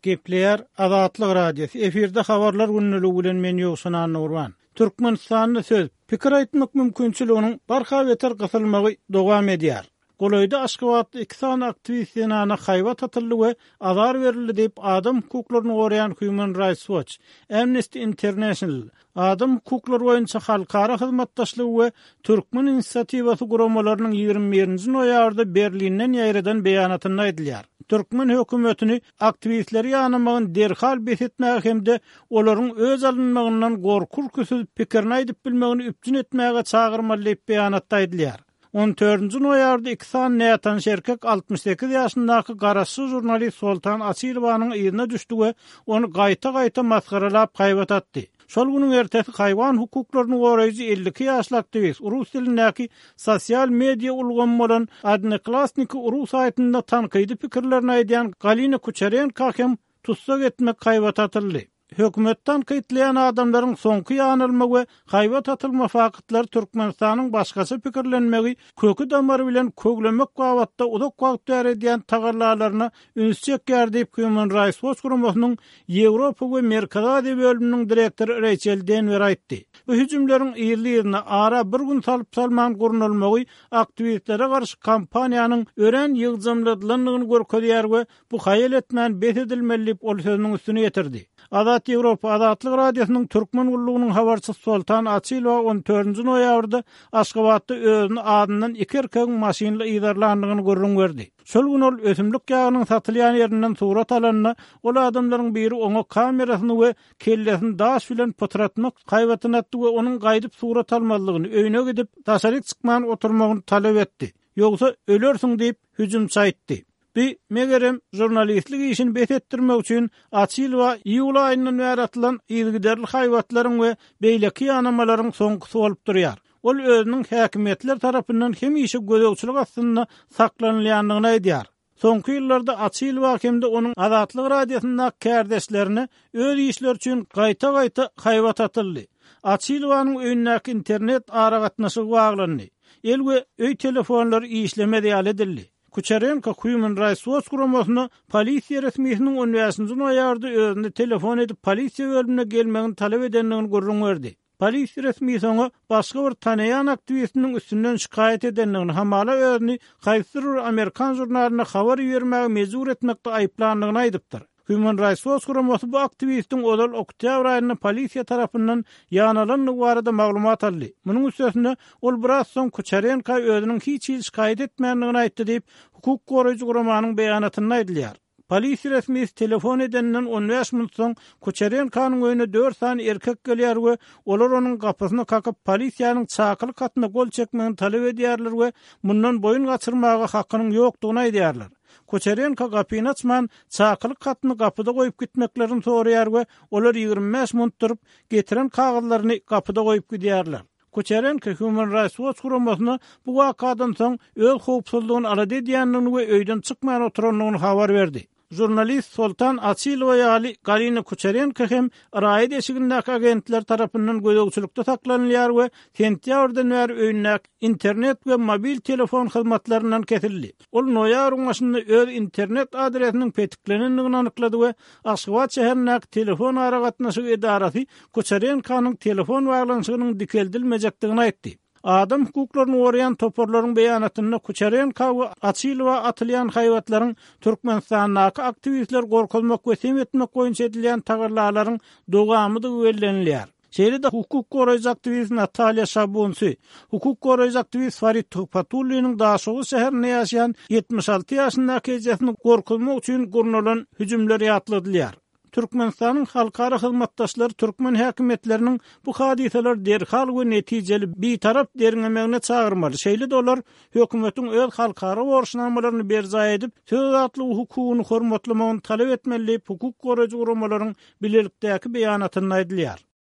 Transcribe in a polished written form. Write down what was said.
Gepleýär Azatlyk Radiosy, efirde Habarlar gündeligi bilen men Ýowşan Annagurban. Türkmenistanda söz, pikir aýtmak mümkinçiliginiň barha beter gysylmagy dowam edýär. Golaýda Aşgabatda iki sany aktiwist zenana haýbat atyldy we azar berildi diýip, adam hukuklaryny goraýan Human Rights Watch, Amnesty International, Adam hukuklary boýunça halkara hyzmatdaşlygy we Türkmen inisiatiwasy guramalarynyň 21 nji noýabrda Berlinden ýaýradan beýanatynda aýdylýar. Türkmen hökümetini aktiwistleri ýanamagyny derhal bes etmäge hem-de olaryň öç alynmagyndan gorky-ürküsiz pikirini aýdyp bilmegini üpjün etmäge çagyrmaly diýip, beýanatda aýdylýar. On dördünji noýabrda iki sany nätanyş erkek 68 ýaşyndaky garaşsyz žurnalist Soltan Açylowanyň yzyna düşdi we ony gaýta-gaýta masgaralap haýbat atdy. Şol günüň ertesi haýwan hukuklaryny goraýjy 52 ýaşly aktiwist rus dilindäki sosial media ulgamy bolan Odnoklassniki ru saýtynda tankydy pikirlerini aýdýan Galina Kuçerenko hem tussag etmek haýbat atyldy. Hökümeti tankytlaýan adamlaryň soňky ýanylma we haýbat atylma faktlary Türkmenistanyň başgaça pikirlenmegi köki-damary bilen köglemek babatda uzak wagt bäri edýän tagallalaryna üns çekýär diýip, Human Rights Watch guramasynyň Ýewropa we Merkezi Aziýa bölüminiň direktory Reýçel Denwer aýtdy. Bu hüjümleriň yzly-yzyna, ara bir gün salyp-salman gurnalmagy aktiwistlere garşy kampaniýanyň örän ýygjamladylandygyny görkezýär we Bu haýal etmän bes edilmeli diýip, ol sözüniň üstüni ýetirdi. Azat Ýewropa Azatlyk Radiosynyň Türkmen gullugynyň habarçysy Soltan Açylowa on dördünji noýabrda Aşgabatda özüni azyndan iki erkegiň maşynly yzarlandygyny gürrüň berdi. Şol gün ol ösümlik ýagynyň satylýan ýerinden surat alanda, ol adamlaryň biri oňa kamerasyny we kellesini daş bilen pytratmak haýbatyny atdy we onuň gaýdyp surat almazlygyny, öýüne gidip, daşaryk çykman oturmagyny talap etdi. Ýogsa ölersiň diýip, hüjümçi aýtdy. Bi, megerem, žurnalistlik işini bes etdirmek üçin Açylowa iýul aýyndan bäri atylan yzygiderli haýbatlaryň we beýleki ýanamalaryň soňkusy bolup durýar. Ol özüniň häkimiýetler tarapyndan hemişe gözegçilik astynda saklanylýandygyny aýdýar. Soňky ýyllarda Açylowa hem-de onuň Azatlyk Radiosyndaky kärdeşlerine öz işleri üçin gaýta-gaýta haýbat atyldy. Açylowanyň öýündäki internet aragatnaşygy baglandy. El we öý telefonlary işlemez ýaly edildi. Kuçerenko Human Rights Watch guramasyna polisiýa resmisiniň on bäşinji noýabrda özüne telefon edip polisiýa bölümine gelmegini talap edendigini gürrüň berdi. Polisiýa resmisi oňa başga bir tanaýan aktiwistiniň üstünden şikaýat edendigini, hamala özüni haýsydyr bir amerikan žurnalyna habar ibermäge mejbur etmekde aýyplandygyny aýdypdyr. Human Rights Watch guramasy bu aktiwistiň ozal oktýabr aýynda polisiýa tarapyndan ýanalandygy barada maglumat aldy. Munuň üstesine, ol biraz soň Kuçerenka özüniň hiç hili şikaýat etmändigini aýtdy diýip, hukuk goraýjy guramanyň beýanatynda aýdylýar. Polisiýa resmisi telefon edeninden on bäş minut soň Kuçerenkanyň öýüne dört sany erkek gelýär we olar onuň gapysyny kakyp, polisiýanyň çakylyk hatyna gol çekmegini talap edýärler we mundan boýun gaçyrmaga hakynyň ýokdugyny aýdýarlar. Kuçerenko gapyny açman, çakylyk hatyny gapyda goýup gitmeklerini soraýar we olar 25 minut durup, getiren kagyzlaryny gapyda goýup gidýärler. Kuçerenko Human Rights Watch guramasyna bu wakadan soň öz howpsuzlygyny alada edýändigini we öýden çykman oturandygyny habar berdi. Žurnalist Soltan Açylowa ýaly Galina Kuçerenko hem raýat eşigindäki agentler tarapyndan gözegçilikde saklanylýar we sentýabrdan bäri öýündäki internet we mobil telefon hyzmatlaryndan kesildi. Ol noýabryň başynda öz internet adresiniň petiklenendigini anyklady we Aşgabat şäherindäki telefon aragatnaşygy edarasy Kuçerenkonyň telefon baglanyşygynyň dikeldilmejekdigini aýtdy. Adam hukuklaryny goraýan toparlaryň beýanatynda Kuçerenka we Açylowa atylýan haýbatlaryň Türkmenistandaky aktiwistleri gorkuzmak we sem etmek boýunça edilýän tagallalaryň dowamydygy bellenilýär. Şeýle-de hukuk goraýjy aktiwist Natalýa Şabunsy, hukuk goraýjy aktiwist Farid Tuhbatulliniň Daşoguz şäherinde ýaşaýan 76 ýaşyndaky ejesini gorkuzmak üçin gurnalan hüjümler ýatladylýar. Türkmenistanyň halkara hyzmatdaşlary türkmen häkimiýetleriniň bu hadysalary derhal we netijeli bitarap derňemegine çagyrmaly, şeýle-de olar hökümetiň öz halkara borçnamalaryny berjaý edip, söz azatlygy hukugyny hormatlamagyny talap etmeli diýip, hukuk goraýjy guramalaryň bilelikdäki beýanatynda aýdylýar.